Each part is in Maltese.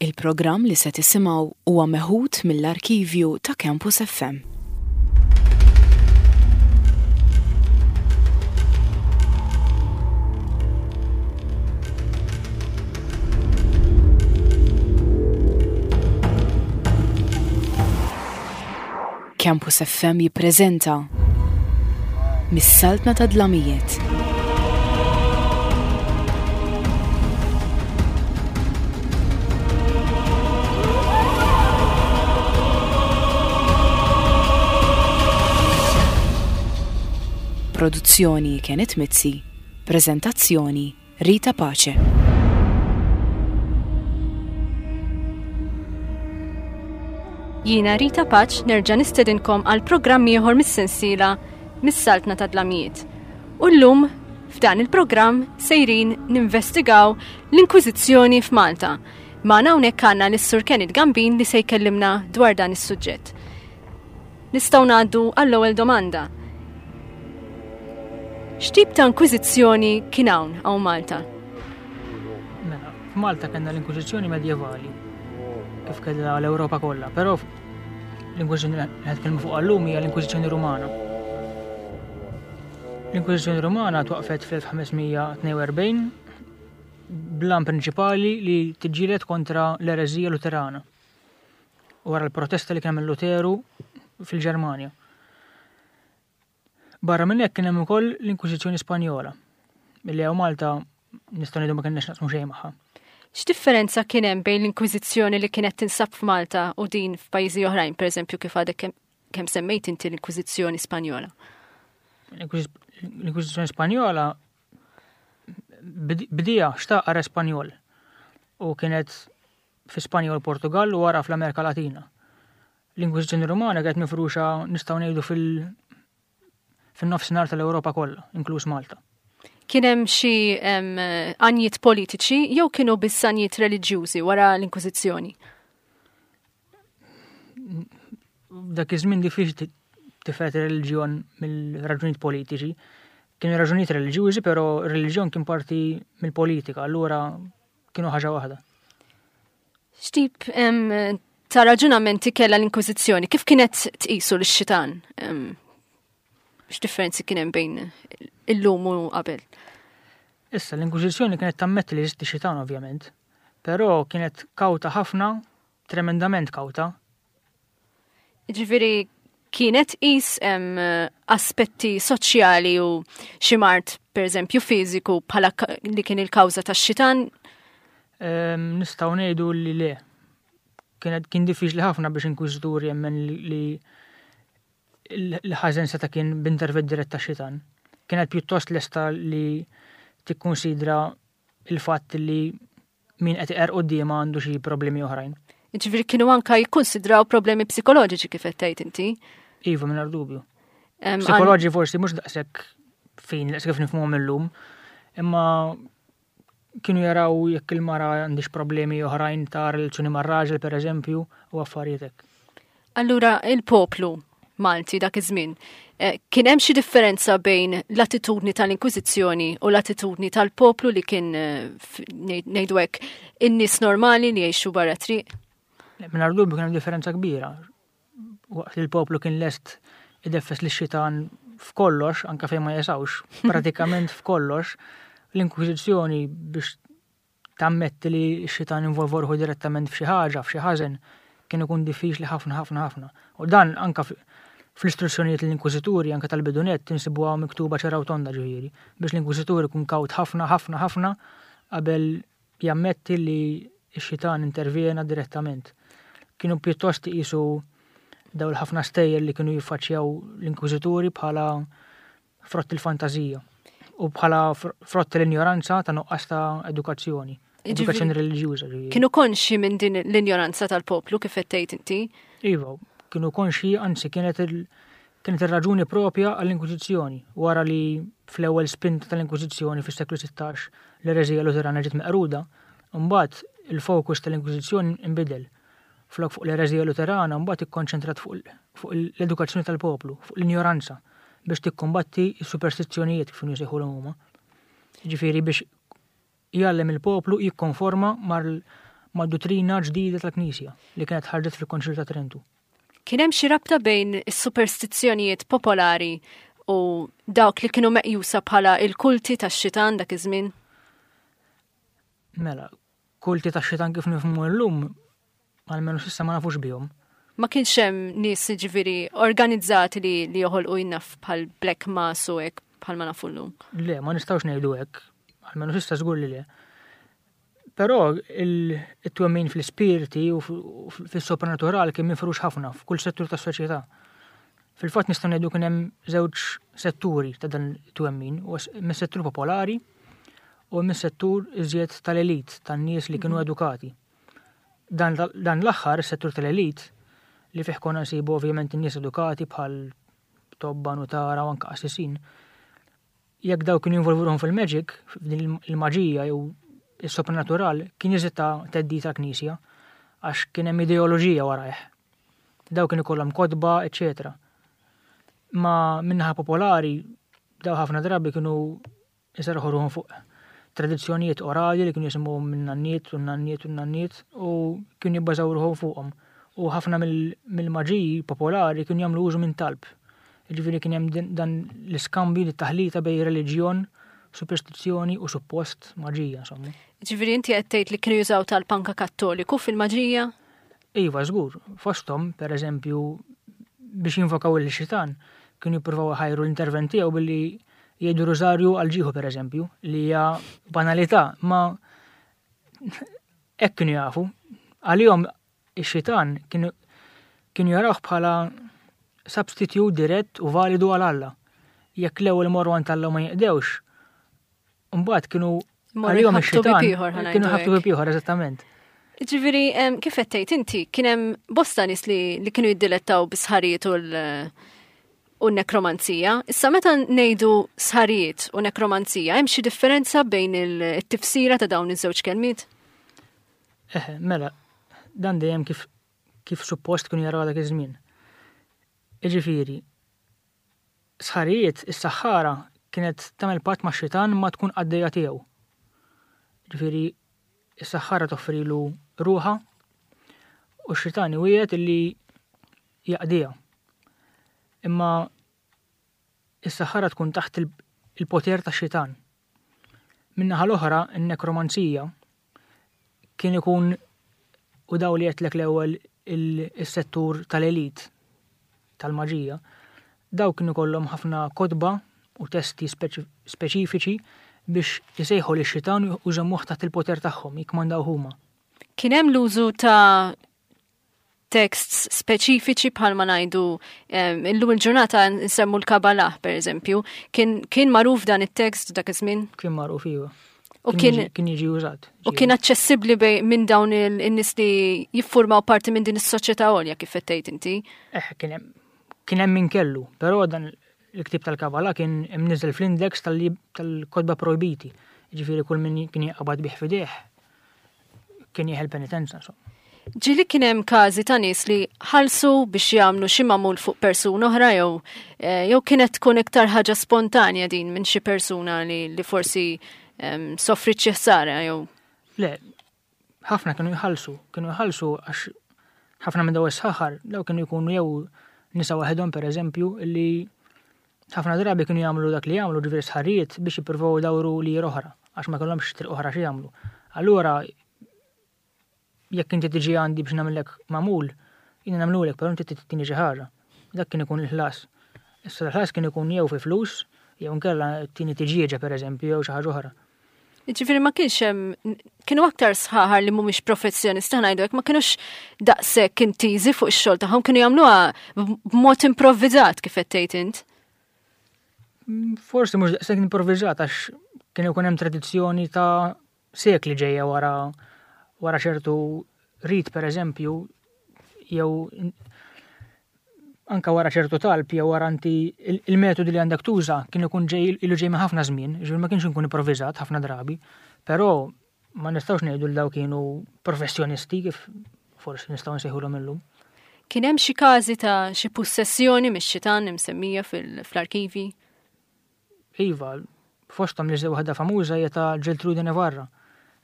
Il-programm li se tisimgħu huwa meħud mill-arkivju ta' Campus FM. Campus FM jippreżenta Mis-Saltna ta' Dlamijiet. Produzzjoni Kenneth Mizzi, preżentazzjoni Rita Pace. Jiena Rita Pace nerġa' nistedinkom għal programm ieħor mis-sensiela Mis-Saltna ta' Dlamijiet. U llum f'dan il-programm sejrin ninvestigaw l-Inkwiżizzjoni f'Malta. Magħna hawnhekk għandna lis-Sur Kenneth Gambin li se jkellimna dwar dan is-suġġett. Nistgħu ngħaddu għall-ewwel domanda. X'tip ta' inkwiżizzjoni kien hawn hawn Malta? Mela, f'Malta kellna l-inkwiżizzjoni medjevali kif kellha l-Ewropa kollha, però l-inkwiżizzjoni li qed nitkellmu fuq llum hija l-inkwiżizzjoni Rumana. L-inkwiżizzjoni Rumana twaqfet fl-1542 bl-għan prinċipali li tiġġieled kontra l-ereżija Luterana. wara l-protesta li kien hemm Luteru fil-Ġermanja. Barra minn hekk kien hemm ukoll l-Inkwiżizzjoni Spanjola, milli hawn Malta nistgħu ngħidu ma kienx naqsmu xejn magħha. X'differenza kien hemm bejn l-Inkwiżizzjoni li kienet tinsab f'Malta u din f'pajjiżi oħrajn, pereżempju kif għadek kemm semmejt inti l-Inkwiżizzjoni Spanjola? L-Inkwiżizzjoni Spanjola bdija xtaq re Spanjol u kienet fi Spanja u l-Portugall u wara fl-Amerika Latina. L-Inkwiżizzjoni Rumana kienet mifruxa nistgħu ngħidu fil- fin-nofsinhar tal-Ewropa kollha, inkluż Malta. Kien hemm xi għanjiet politiċi jew kienu biss għanjiet reliġjużi wara l-Inkwiżizzjoni? Dak iż-żmien diffiċli tifred ir-reliġjon mill-raġunijiet politiċi. Kienu raġunijiet reliġjużi, però r-reliġjon kien parti mill-politika, allura kienu ħaġa waħda. X'tip ta' raġunamenti kellha l-Inkwiżizzjoni? Kif kienet tqisu lix-xitan? X'differenzi kien hemm bejn illum u qabel? Issa, l-Inkwiżizzjoni kienet tammetti li jeżisti xitan ovvjament, però kienet kawta ħafna, tremendament kawta, Ġifieri kienet tqis aspetti soċjali u xi mard pereżempju fiżiku bħala li kien il-kawża tax-xitan? Nistgħu ngħidu li le. Kienet kien diffiċli ħafna biex inkwiżitur jemmen li l-ħażen seta' kien b'intervent dirett tax-xitan. Kienet pjuttost lesta li tikkunsidra il-fatt li min qed iqerr quddiemha għandu xi problemi oħrajn. Ġifieri kienu anka jikkunsidraw problemi psikoloġiċi kif qed tgħid inti. Iva, mingħajr dubju. Psikoloġi forsi mhux daqshekk fin daqshekk kif nifhmuhom illum, imma kienu jaraw jekk il-mara għandix problemi oħrajn ta' relazzjoni mar-raġel pereżempju u affarijiet hekk. Allura il-poplu Malti dak iż-żmien, eh, kien hemm xi differenza bejn l-attitudni tal-Inkwiżizzjoni u l-attitudni tal-poplu li kien eh, ngħidu hekk in-nies normali li jgħixu barra triq? Mingħajr dubju kien hemm differenza kbira. Waqt li l-poplu kien lest ideffes li xitan f'kollox, anka fejn ma jesawx, pratikament f'kollox, l-Inkwiżizzjoni biex tammetti li x-xitan involva ruħu direttament f'xi ħaġa, f'xi ħażen, kien ikun diffiċli ħafna ħafna ħafna. U dan anka fl-istruzzjonijiet l-inkwiżituri anka tal-bidunett insibuha miktuba ċara u tonda ġifieri, biex l-inkwiżitur ikun kawt ħafna ħafna ħafna qabel jammetti li x-xitan intervjena direttament. Kienu pjuttost iqisu daw l-ħafna stejjer li kienu jiffaċċjaw l-inkwiżituri bħala frott il-fantażija u bħala frott l-injoranza ta' nuqqas ta' edukazzjoni. Edukazzjoni reliġjuża. Kienu konxi minn din l-injoranza tal-poplu kif qed tgħid inti? Iva, kienu konxi, anzi kienet il kienet ir-raġuni propja għall-Inkwiżizzjoni wara li fl-ewwel spinta tal-Inkwiżizzjoni fis-seklu 16 l-ereżija Luterana ġiet meqruda, imbagħad il-fokus tal-Inkwiżizzjoni nbidel. Flok fuq l-ereżija Luterana mbagħad ikkonċentrat fuq l-edukazzjoni tal-poplu, fuq l-injoranza biex tikkumbatti s-superstizzjonijiet kif kienu jsejħulhom huma. Ġifieri biex jgħallem il-poplu jikkonforma mad-duttrina ġdida tal-Knisja li kienet ħarġet fil-Konċilju ta' Trentu. Kien hemm xi rabta bejn is-superstizzjonijiet popolari u dawk li kienu meqjusa bħala il-kulti tax-xitan dak iż-żmien? Mela, kulti tax-xitan kif nifhmu llum, almenu s'issa ma nafux bihom. Ma kienx hemm nies ġifieri organizzati li, li joħolqu jinnaf bħal Black Mass u hekk bħal ma nafu llum. Le, ma nistgħux ngħidu hekk, almenu s'issa żgur li le. Però it-twemmin fl-ispirti u fis-sopranatural kien mifrux ħafna f'kull settur tas-soċjetà. Fil-fatt nistgħu ngħidu kien hemm żewġ setturi ta' dan it-twemmin, mis-settur popolari u mis-settur iżjed tal-elit, tan-nies li kienu mhm. edukati. Dan, dan l-aħħar, is-settur tal-elit, li fih konna nsibu ovvjament in-nies edukati bħal tobba, nutara u anke qassisin, jekk daw kienu jinvolvu ruħhom fil-magic, f'din il-maġija jew is-sopranatural, kien iżid ta' theddid tal-Knisja għax kien hemm ideoloġija warajh. Daw kienu ikollhom kotba, eċetera. Ma minnaħa popolari, daw ħafna drabi kienu jserħu ruħhom fuq tradizzjonijiet orali li kienu jisimgħu minn nanniet u nanniet u nanniet u kienu jibbażaw ruħhom fuqhom. U ħafna mill-maġiji popolari kienu jagħmlu użu minn talb. Jiġifieri kien hemm dan l-iskambju, li taħlita bejn reliġjon, superstizzjoni u suppost maġija, insomma. Ġifieri inti qed tgħid li kienu jużaw tal-panka Kattoliku fil-maġija? Iva, żgur. Fosthom, per eżempju, biex jinvokaw il-xitan, kienu jippruvaw ħajru l-intervent tiegħu billi jgħidu rużarju għal ġieħu per eżempju, li hija banalità, ma hekk kienu jafu. Għalihom Ix-xitan kienu kienu jarawh bħala substitute dirett u validu għal Alla. Jekk l-ewwel imorru għand Alla u ma jinqdewx, mbagħad kienu għalihom ix-xitan kienu ħabtu bib ieħor eżattament. Ġifieri, kif qed tgħid inti, kien hemm bosta nies li, li kienu jiddilettaw bis-sħarijiet u l- u nekromanzija. Issa meta ngħidu sħarijiet u nekromanzija, hemm xi differenza bejn il-tifsira ta' dawn iż-żewġ kelmiet? Eħe, mela, dan dejjem kif kif suppost kienu jaraw dak iż-żmien. Iġifieri, sħarijiet is-saħħara kienet tagħmel patt ma' xitan ma tkun qaddejja tiegħu. Ġifieri, is-saħħara toffrilu ruħa u x-xitan iwiegħed illi jaqdiha. Imma is-saħħara tkun taħt il-poter tax-xitan. Min-naħa l-oħra, in-nekromanzija kien ikun u daw li għedtlek l-ewwel is-settur tal-elit tal-maġija, daw kienu kollhom ħafna kotba u testi speċifiċi biex isejħu lix-xitan u jżommuh taħt il-poter tagħhom, jikkmandaw huma. Kien hemm l-użu ta' texts speċifiċi bħalma ngħidu illum il-ġurnata nsemmu l-Kabalah pereżempju. Kien, kien magħruf dan it-tekst dak iż-żmien? Kien magħruf iva. U kien kien jiġi użat. U kien aċċessibbli minn dawn in-nies li jiffurmaw parti minn din is-soċjetà għolja kif qed tgħid inti. Eh, kien hemm kien hemm min kellu, però dan il-ktieb tal-Kabbalah kien imniżżel fl-index tal-kotba projbiti. Ġifieri kull min kien jaqbad bih fideh kien jieħel penitenza. Insomma. Ġili kien hemm każi ta' nies li ħalsu biex jagħmlu xi magħmul fuq persuna oħra jew eh, jew kienet tkun iktar ħaġa spontanja din minn xi persuna li, li forsi um, soffrit xi ħsara jew. Le, ħafna kienu jħallsu, kienu jħallsu għax ħafna minn daw is-saħar daw kienu jkunu jew nisa waħedhom pereżempju li ħafna drabi kienu jagħmlu dak li jagħmlu ġifieri sħarijiet biex jippruvaw dawru li oħra għax ma kellhomx triq oħra xi jagħmlu. Allura jekk inti tiġi għandi biex nagħmellek magħmul, jiena nagħmlulek, però inti tini xi ħaġa. Dak kien ikun il-ħlas. Issa l-ħlas kien ikun jew fi flus, jew inkella tini tiġieġa pereżempju jew xi ħaġa oħra. Ġifieri ma kienx hemm kienu aktar sħaħar li mhumiex professjonisti ngħidu hekk ma kinux daqshekk intiżi fuq ix-xogħol tagħhom kienu jagħmluha b'mod improvviżat kif qed tgħid int. Mm, forsi mhux daqshekk improvviżat għax kien ikun hemm tradizzjoni ta' sekli ġejja wara wara ċertu rit pereżempju jew anka wara ċertu talb jew wara inti il-metodi li għandek tuża kien ikun ġej ilu ġej minn ħafna żmien, ġifieri ma kienx inkun improvviżat ħafna drabi, però ma nistgħux ngħidu li daw kienu professjonisti kif forsi nistgħu nsejħulhom illum. Kien hemm xi każi ta' xi pussessjoni mix-xitan imsemmija fl-arkivi? Iva, fosthom li waħda famuża hija ta' Geltrude Navarra,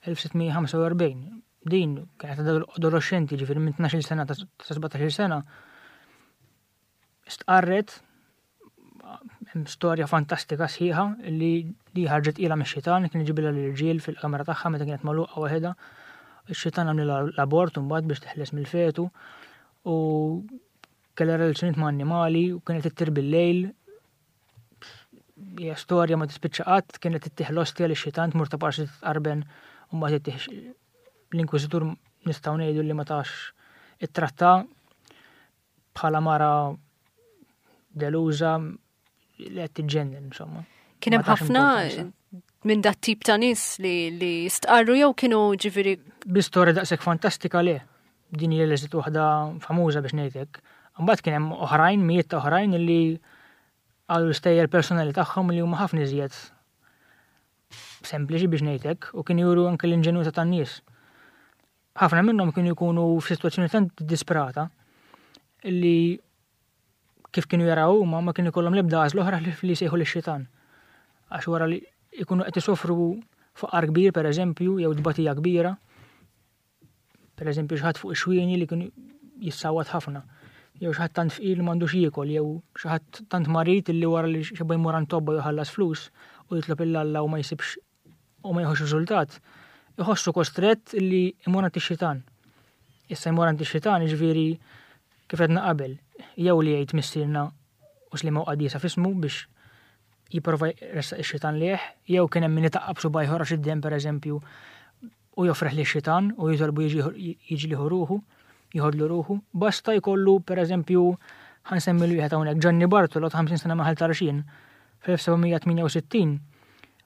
1645. Din kienet adolescenti, ġifieri minn 12 sena ta' 17 sena, stqarret hemm storja fantastika sħiħa li li ħarġet ilha mix-xitan, kien iġibilha l-irġiel fil-kamra tagħha meta kienet magħluqa waħedha. Ix-xitan għamlilha l-abort imbagħad biex teħles mill-fetu u kellha relazzjonijiet ma' annimali u kienet ittir bil-lejl. Hija storja ma tispiċċa qatt, kienet ittih l-ostja li xitan tmur ta' parsi titqarben u mbagħad ittih l-inkwiżitur nistgħu ngħidu li ma tax ittratta bħala mara deluża li qed tiġġennen insomma. Kien hemm ħafna minn dat tip ta' nies li li stqarru jew kienu ġifieri. Bi storja daqshekk fantastika le. Din hija li waħda famuża biex ngħidlek. Imbagħad kien hemm oħrajn, mijiet ta' oħrajn li qalu l-istejjer personali tagħhom li huma ħafna iżjed sempliċi biex ngħidlek u kienu juru anke l-inġenwità tan-nies. Ħafna minnhom kienu jkunu f'sitwazzjoni tant disprata li kif kienu jaraw huma ma kienu jkollhom l-ebda għażla oħra li jsejħu lix-xitan. Għax wara li jkunu qed isofru faqar kbir pereżempju jew tbatija kbira, pereżempju xi ħadd fuq ix-xwieni li kienu jissawat ħafna, jew xi ħadd tant fqir li m'għandux jiekol, jew xi ħadd tant marid li wara li xeba jmur għand tobba jħallas flus u jitlob 'il Alla u ma jsibx u ma jieħux riżultat, iħossu kostrett li jmur għand ix-xitan. Issa jmur għand ix-xitan jiġifieri kif għedna qabel, jew li jgħid missierna u sliema u qaddisa f'ismu biex jipprova jressaq ix-xitan lejh, jew kien hemm min itaqqab subgħajh joħroġ id-demm pereżempju u joffrih lix-xitan u jitolbu jiġi liħu ruħu, jieħodlu ruħu. Basta jkollu pereżempju ħa nsemmi l wieħed hawnhekk Ġanni Bartolo ta' 50 sena minn Ħal Tarxien fl-1768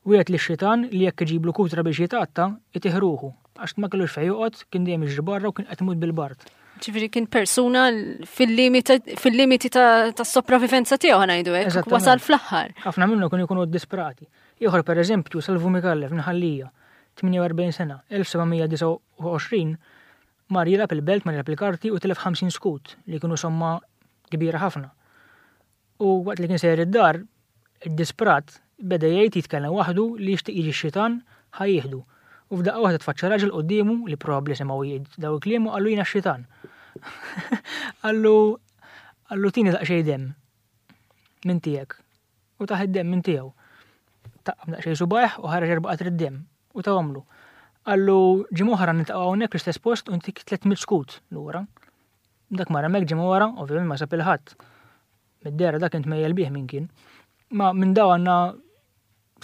Wiegħed lix-xitan li jekk iġiblu kutra biex jitgħatta, itih ruħu, għax ma kellux fejn joqgħod, kien dejjem jiġri barra u kien qed imut bil-bard. Ġifieri kien persuna fil-limiti tas-sopravivenza tiegħu ħa ngħidu hekk, wasal fl-aħħar. Ħafna minnhom kienu jkunu ddisprati. Ieħor pereżempju, Salvu Micallef minn Ħal Lija, 48 sena, 1729, mar jilgħab il-belt, mar jilgħab il-karti u tilef 50 skud li kienu somma kbira ħafna. U waqt li kien sejjer id-dar, iddisprat, beda jgħid jitkellem waħdu li jixtieq jiġi x-xitan ħa jieħdu. U f'daqqa waħda tfaċċa raġel quddiemu li probabbli semgħu jgħid daw il-kliem u qallu jiena x-xitan. Qallu qallu tini daqsxejn demm minn tiegħek. U tah id-demm minn tiegħu. Taqqab daqsxejn subajh u ħareġ erba' qatri demm u tahomlu. Qallu ġimgħa oħra niltaqgħu hawnhekk l-istess post u ntik 300 skut lura. Dak mar hemmhekk ġimgħa wara, ovvjament ma sab il-ħadd. Mid-dehra dak kien tmejjel bih min kien. Ma minn daw għandna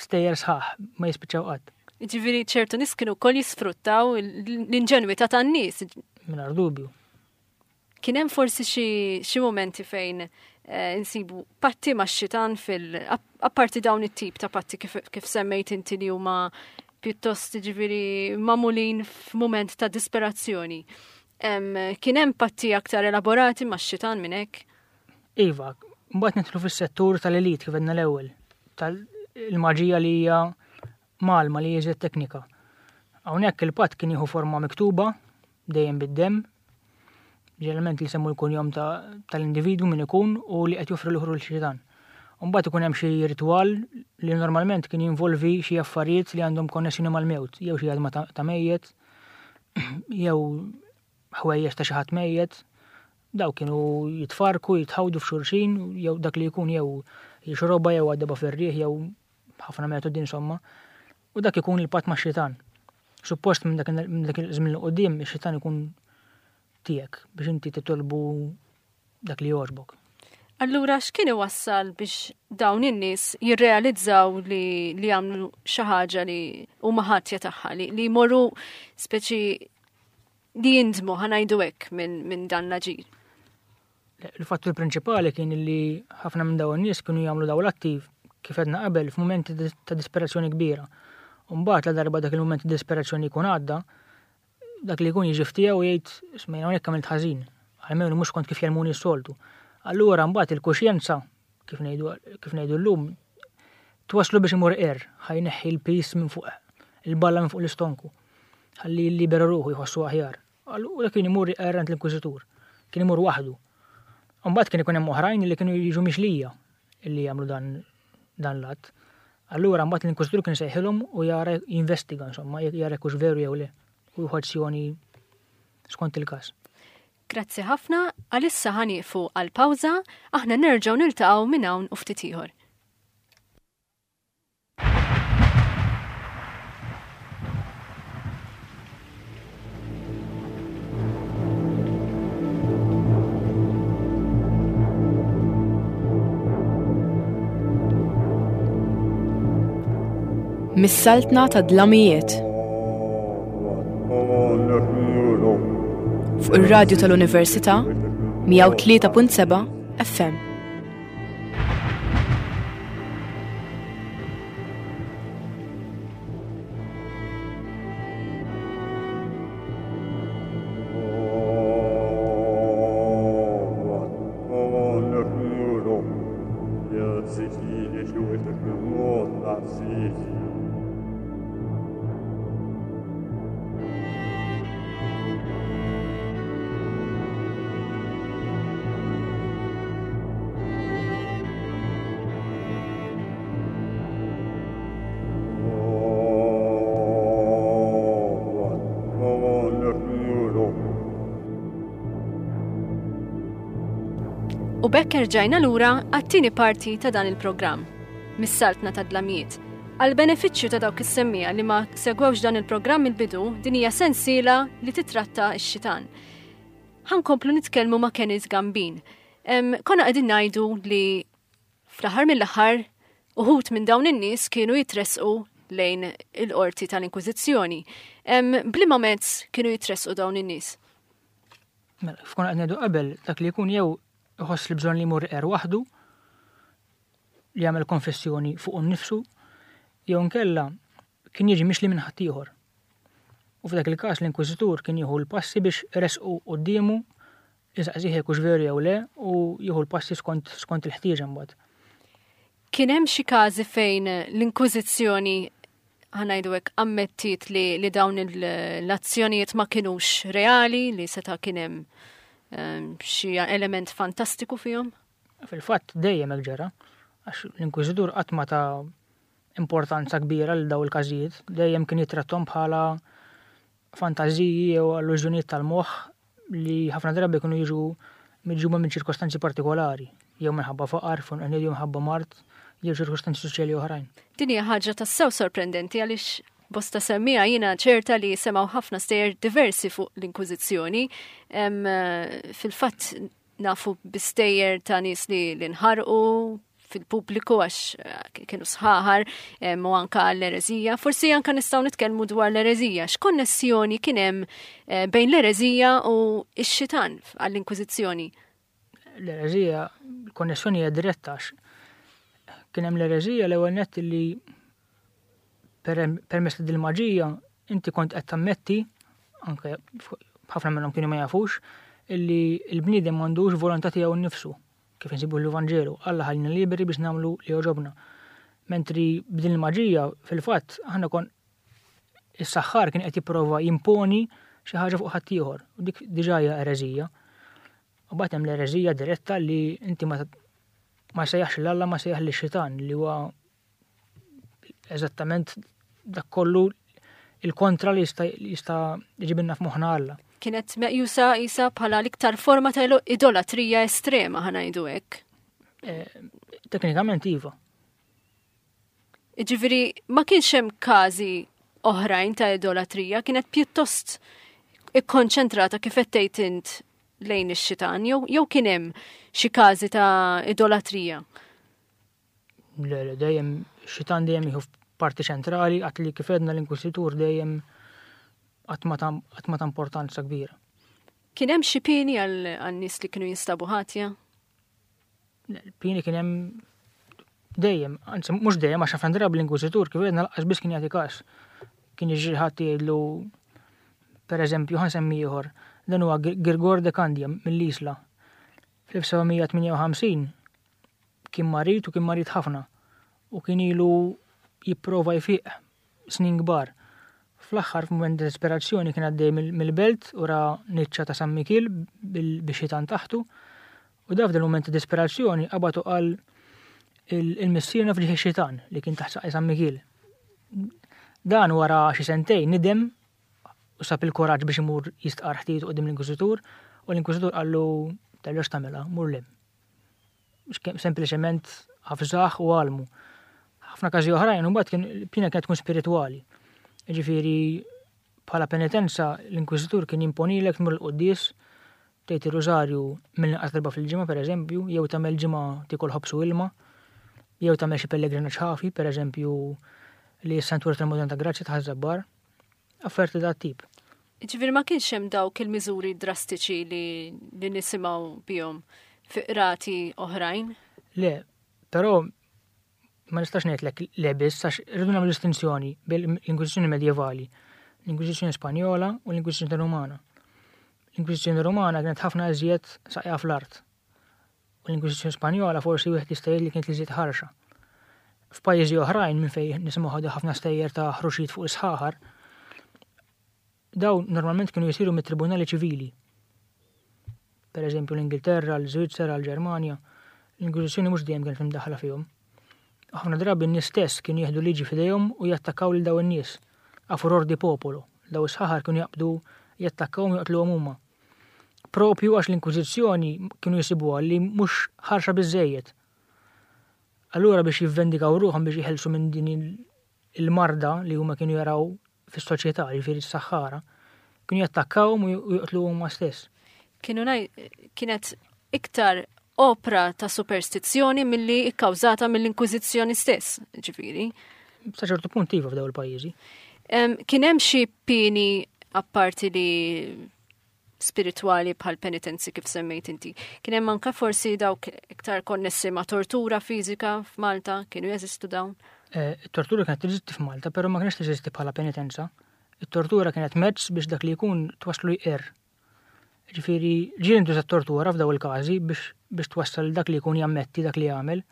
stejjer sħaħ ma jispiċċaw qatt. Ġifieri ċertu nies kienu wkoll jisfruttaw l-inġenwità tan-nies. Mingħajr dubju. Kien hemm forsi xi momenti fejn eh, insibu patti ma' xitan fil apparti dawn it-tip ta' patti kif, kif semmejt inti li huma pjuttost ġifieri mamulin f'mument ta' disperazzjoni. Kien hemm patti aktar elaborati max-xitan minn hekk? Iva, mbagħad nidħlu fis-settur tal-elit kif għedna l-ewwel, tal-maġija li hija malma li jiżed teknika. Hawnhekk il-patt kien jieħu forma miktuba, dejjem bid-demm, ġeneralment li semmu l-kunjom tal-individwu min ikun u li qed joffri l-ħru l-xitan. Mbagħad ikun hemm xi ritwal li normalment kien jinvolvi xi affarijiet li għandhom konnessjoni mal-mewt, jew xi għadma ta' mejjet, jew ħwejjeġ ta' xi ħadd mejjet, daw kienu jitfarku, jitħawdu f'xulxin, jew dak li jkun jew jixroba jew għaddeba fir-riħ jew ħafna metodi insomma. U dak ikun il-patt ma' xitan. Suppost minn dak iż-żmien li qudiem ix-xitan ikun tiegħek biex inti titolbu dak li jogħġbok. Allura x'kien iwassal biex dawn in-nies jirrealizzaw li li għamlu xi ħaġa li huma ħatja tagħha li, li jmorru speċi li jindmu ħanajdu hekk minn min dan l-aġir? Il-fattur prinċipali kien li ħafna minn dawn in-nies kienu jagħmlu dawn l-atti kif għedna qabel f'mumenti ta' disperazzjoni kbira. U mbagħad la darba dak il-mument ta' disperazzjoni jkun għadda, dak li jkun jiġi ftiegħu u jgħid isma' jien hawnhekk għamilt ħażin, almenu mhux kont kif jgħallmuni s-soltu. Allura mbagħad il-kuxjenza, kif ngħidu kif ngħidu llum, twasslu biex imur iqerr, ħa jneħħi l-piż minn fuq il-balla minn fuq l-istonku. Ħalli jillibera ruħu jħossu aħjar. Allura kien imur iqerr għand l-inkwiżitur. Kien imur waħdu. Mbagħad kien ikun hemm oħrajn li kienu jiġu mixlija illi jagħmlu dan dan l-att. Allura mbagħad l-inkwiżitur kien sejħilhom u jara jinvestiga insomma, jara jekk hux veru jew le. u jieħu azzjoni skont il-każ. Grazzi ħafna, għalissa ħanieqfu għal pawża, aħna nerġgħu niltaqgħu minn hawn u ftit ieħor. Mis-saltna ta' dlamijiet. Fuq ir-radju tal-Università 103.7 FM. U bekk erġajna lura għat-tieni parti ta' dan il-programm, mis-saltna ta' dlamijiet. Għal benefiċċju ta' dawk is-semmija li ma segwewx dan il-programm il-bidu, din hija sensiela li titratta x-xitan. Ħankomplu nitkellmu ma' Kenneth Gambin. Konna qegħdin ngħidu li fl-aħħar mill-aħħar uħud minn dawn in-nies kienu jitresqu lejn il-qorti tal-Inkwiżizzjoni. Bliema mezz kienu jitresqu dawn in-nies? Mela, f'konna qed ngħidu qabel dak li jkun jew iħoss li bżonn li jmur er waħdu li jagħmel konfessjoni fuq nnifsu, jew nkella kien jiġi mixli minn ħaddieħor. U f'dak il-każ l-inkwiżitur kien jieħu l-passi biex resqu quddiemu isaqsih jekk hux veru jew le u jieħu l-passi skont skont il-ħtieġa mbagħad. Kien hemm xi każi fejn l-Inkwiżizzjoni ħanajdu hekk ammettiet li, li dawn l-azzjonijiet ma kinux reali, li seta' kien hemm ehm, xi element fantastiku fihom? Fil-fatt dejjem hekk ġara, għax l-Inkwiżitur qatt ma ta' importanza kbira lil daw il-każijiet, dejjem kien jittrattom bħala fantażiji jew allużjonijiet tal-moħħ li ħafna drabi kienu jiġu miġjuba minn ċirkostanzi partikolari, jew minħabba faqar, jew minħabba mard, jew ċirkostanzi soċjali oħrajn. Din hija ħaġa tassew sorprendenti għaliex bosta semmija jiena ċerta li semgħu ħafna stejjer diversi fuq l-Inkwiżizzjoni. Fil-fatt nafu bistejjer ta' nies li nħarqu fil-pubbliku għax eh, kienu sħaħar eh, u anka l-erezija. Forsi anka nistgħu nitkellmu dwar l-erezija. X'konnessjoni kien hemm eh, bejn l-erezija u x-xitan għall-Inkwiżizzjoni? L-erezija, l-konnessjoni hija diretta għax kien hemm l-erezija l-ewwel nett li permezz ta' dil-maġija inti kont qed tammetti anke ħafna minnhom kienu ma jafux illi l-bniedem m'għandux volontà tiegħu nnifsu kif insibu l-Vanġelu, Alla ħallina liberi biex nagħmlu li jogħġobna. Mentri b'din il-maġija fil-fatt aħna kon is-saħħar kien qed jipprova jimponi xi ħaġa fuq ħaddieħor u dik diġà hija ereżija. U bagħad hemm l-ereżija diretta li inti ma ma sejjaħx l-Alla ma sejjaħ lix-xitan li huwa eżattament dak kollu il-kontra li jista' jista' jġibilna f'moħħna Alla. Kienet meqjusa isa bħala l-iktar forma ta' idolatrija estrema ħanajdu hekk. Eh, teknikament iva. Ġifieri ma kienx hemm każi oħrajn ta' idolatrija, kienet pjuttost ikkonċentrata kif qed tgħid int lejn ix-xitan jew jew kien hemm xi każi ta' idolatrija. Le, le, dejjem xitan dejjem jieħu parti ċentrali għat li kif edna l-inkwisitur dejjem qatt ma ta' importanza kbira. Kien hemm xi pieni għal nies li kienu jinstabu ħatja? Pieni kien hemm dejjem, anzi mhux dejjem għax ħafna drabi l-inkwisitur kif edna laqas biss kien jagħti każ. Kien jiġri ħadd jgħidlu pereżempju ħansemmi ieħor, dan huwa Girgor de Candia mill-Isla. Fl-1758 Kien marid u kien marid ħafna u kien ilu jipprova jfiq snin kbar. Fl-aħħar f'mument ta' disperazzjoni kien għaddej mill-belt u ra niċċa ta' San Mikiel bix-xitan taħtu u da f'dal mument ta' disperazzjoni qabad u qal il-missierna f'ġieħ ix-xitan li kien taħt saqaj San Mikiel. Dan wara xi sentejn nidem. u sab il-kuraġġ biex imur jistqarr ħtietu quddiem l-Inkwiżitur u l-Inkwiżitur qallu terġax tagħmilha, mur lem. Sempliċement ħafżah u għalmu. Ħafna każi oħrajn imbagħad kien piena kienet tkun spiritwali. Ġifieri bħala penitenza l-Inkwiżitur kien jimponilek tmur il-quddies tgħid ir-rużarju mill-inqas darba fil-ġimgħa pereżempju, jew tagħmel ġimgħa tiekol ħobż u ilma, jew tagħmel xi pellegrinaġġ ħafi, pereżempju li s-Santwarju tal-Madonna ta' Grazzja ta' Ħaż-Żabbar, afferti dat tip. Ġifieri ma kienx hemm dawk il-miżuri drastiċi li, li nisimgħu bihom fi qrati oħrajn? Le, però ma nistax ngħidlek le biss għax irridu nagħmlu distinzjoni bejn l-Inkwiżizzjoni medjevali, l-Inkwiżizzjoni Spanjola u l-Inkwiżizzjoni Rumana. L-Inkwiżizzjoni Rumana kienet ħafna iżjed saqja fl-art. U l-Inkwiżizzjoni Spanjola forsi wieħed jista' jgħid li kienet l-iżjed ħarxa. F'pajjiżi oħrajn minn fejn nisimgħu ħafna stejjer ta' ħruxijiet fuq is-sħaħar, Dawn normalment kienu jsiru mit-tribunali ċivili. Per eżempju l-Ingilterra, l-Żvizzera, l-Ġermanja, l-Inkwiżizzjoni mhux dejjem kienet imdaħħla fihom. Ħafna drabi n-nies stess kienu jieħdu liġi f'idejhom u jattakkaw lil dawn in-nies, a furor di popolo, daw is-sħaħar kienu jaqbdu jattakkawhom u joqtluhom huma. Propju għax l-Inkwiżizzjoni kienu jsibuha li mhux ħarxa biżżejjed. Allura biex jivvendikaw ruħhom biex jeħilsu minn din il-marda li huma kienu jaraw fis-soċjetà, jiġifieri s-saħħara, kienu jattakkawhom u joqtluhom huma stess. Kienu kienet iktar opra ta' superstizzjoni milli ikkawżata mill-Inkwiżizzjoni stess, ġifieri. Sa ċertu punt iva f'daw il-pajjiżi. Kien hemm xi pieni apparti li spiritwali bħal penitenzi kif semmejt inti. Kien hemm anke forsi dawk iktar konnessi ma' tortura fiżika f'Malta, kienu jeżistu dawn? Eh, it-tortura kienet teżisti f'Malta, però ma kienx teżisti bħala penitenza. It-tortura kienet mezz biex dak li jkun twaslu jqer. Ġifieri, ġieli ntuża tortura f'daw il-każi biex biex twassal dak li jkun jammetti dak li jagħmel.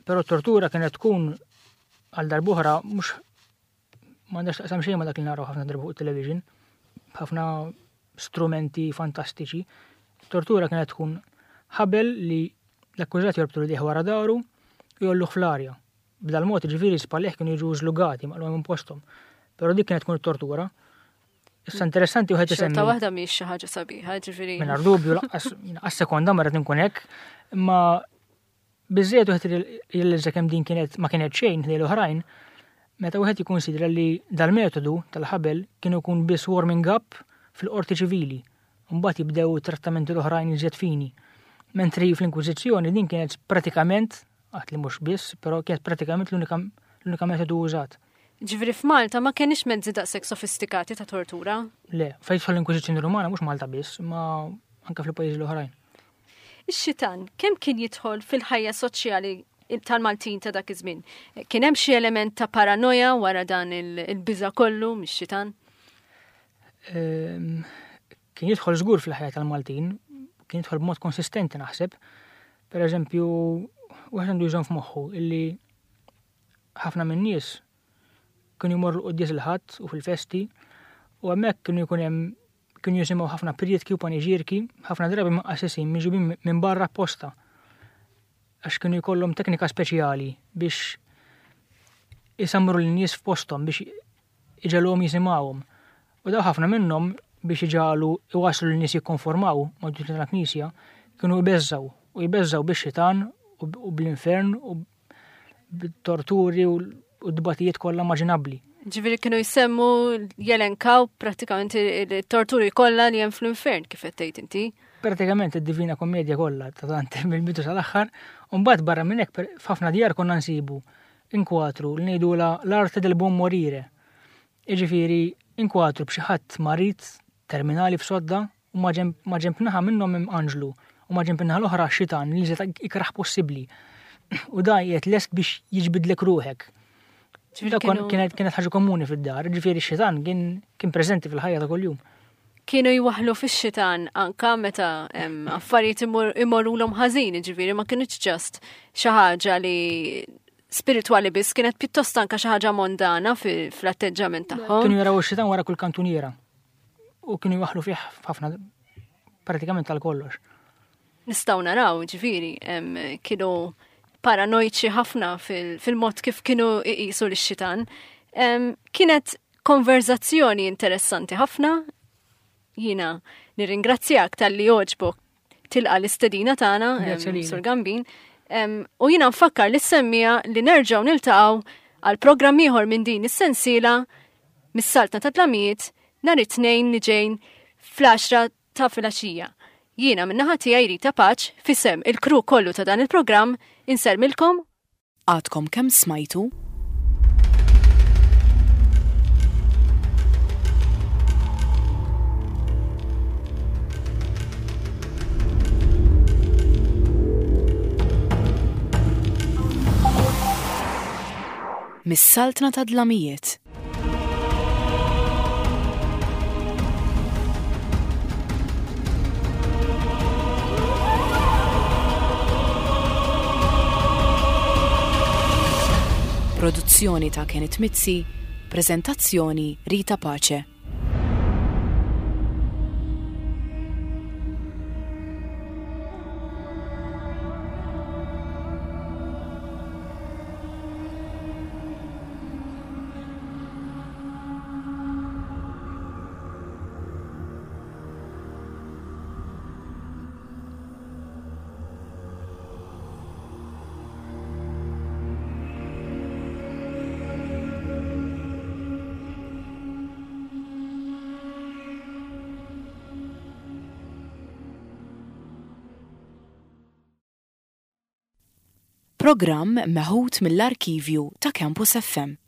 Però t-tortura kienet tkun għal darbuħra mhux M'għandax taqsam xejn ma' dak li naraw ħafna drabi fuq it-television, ħafna strumenti fantastiċi. Tortura kienet tkun ħabel li l-akkużat jorbtu li wara daru u jolluh fl-arja. B'dal mod ġifieri spallih kienu jiġu żlugati maqlugħa minn posthom. Però dik kienet tkun it-tortura. Issa interessanti wieħed isemmi. Xorta waħda mhix xi ħaġa sabiħa, ġifieri. Mingħajr dubju laqqas sekonda ma rrid inkun hekk, imma Biżżejjed wieħed jirrealizza kemm din kienet ma kienet xejn ħdejn l-oħrajn meta wieħed jikkunsidra li dal-metodu tal-ħabel kien ikun biss warming up fil-qorti ċivili u mbagħad jibdew it-trattamenti l-oħrajn iżjed fini. Mentri fl-Inkwiżizzjoni din kienet pratikament, għad li mhux biss, però kienet pratikament l-unika metodu użat. Ġifieri f'Malta ma kenniex mezzi daqshekk sofistikati ta' tortura? Le, fejn tidħol l-Inkwiżizzjoni Rumana mhux Malta biss, imma anke fil-pajjiżi l-oħrajn. Ix-xitan kemm kien jidħol fil-ħajja soċjali tal-Maltin ta' dak iż-żmien? Kien hemm xi element ta' paranoja wara dan il-biża' kollu mix-xitan? Ehm, kien jidħol żgur fil-ħajja tal-Maltin, kien jidħol b'mod konsistenti naħseb. Per eżempju, wieħed għandu jżomm f'moħħu illi ħafna min-nies kienu jmorru l-quddies il-Ħadd u fil-festi u hemmhekk kienu jkun hemm kienu jisimgħu ħafna prietki u paniġierki, ħafna drabi minn qassisin miġubin minn barra apposta għax kienu jkollhom teknika speċjali biex isamru l-nies f'posthom biex iġegħluhom jisimgħuhom. U daw ħafna minnhom biex iġagħlu iwasslu lin-nies jikkonformaw mad-duttrina tal-Knisja kienu jbeżżgħu u jbeżżgħu bix-xitan u bl-infern u bit-torturi u d-dbatijiet kollha immaġinabbli. Ġifieri kienu jsemmu jelenkaw pratikament il-torturi kollha li hemm fl-infern kif qed tgħid inti. Pratikament id-Divina Kommedja kollha ta' Dante mill-bidu sal-aħħar, u mbagħad barra minn hekk f'ħafna djar konna nsibu inkwatru li ngħidulha l-arte del buon morire. Jiġifieri inkwatru b'xi ħadd marid terminali f'sodda u maġenb naħa minnhom hemm anġlu u maġenb in-naħa l-oħra xitan li iżjed ikrah possibbli. U da qiegħed lest biex jiġbidlek ruħek. Kienet kienet ħaġa komuni fid-dar, ġifieri x-xitan kien kien preżenti fil-ħajja ta' kuljum. Kienu jwaħħlu fix-xitan anka meta affarijiet imorrulhom ħażin, ġifieri ma kinitx ġast xi ħaġa li spiritwali biss, kienet pjuttost anka xi ħaġa mondana fl-atteġġament tagħhom. Kienu jaraw ix-xitan wara kull kantuniera. U kienu jwaħħlu fih ħafna pratikament tal kollox. Nistgħu naraw, ġifieri, kienu paranoiċi ħafna fil-mod kif kienu iqisu lix-xitan. Kienet konverzazzjoni interessanti ħafna. Jiena nirringrazzjak talli għoġbok tilqa l-istedina tagħna, Sur Gambin. U jiena nfakkar li semmija li nerġgħu niltaqgħu għal programm ieħor minn din is-sensiela mis-Saltna ta' Tlamijiet nhar it-tnejn li ġejn fl-10 ta' filgħaxija. Jiena min-naħa tiegħi Rita Paċ fisem il-kru kollu ta' dan il-programm insellmilkom. Għadkom kemm smajtu? Mis-Saltna tad-Dlamijiet. Produzzjoni ta' Kenneth Mizzi, preżentazzjoni Rita Pace. Programm meħud mill-arkivju ta' Campus FM.